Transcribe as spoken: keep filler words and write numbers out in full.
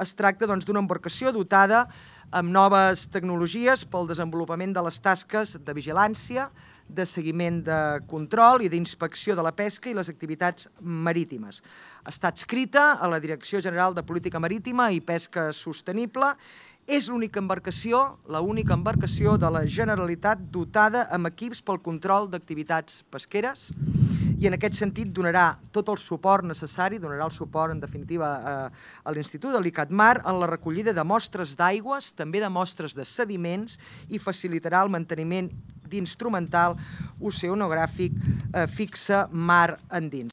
es tracta d'una embarcació dotada amb noves tecnologies pel desenvolupament de les tasques de vigilància, de seguiment de control i d'inspecció de la pesca i les activitats marítimes. Està adscrita a la Direcció General de Política Marítima i Pesca Sostenible. És l'única embarcació, l'única embarcació de la Generalitat dotada amb equips pel control d'activitats pesqueres i en aquest sentit donarà tot el suport necessari, donarà el suport en definitiva a l'Institut de l'ICATMAR en la recollida de mostres d'aigües, també de mostres de sediments i facilitarà el manteniment d'instrumental oceanogràfic fixe mar endins.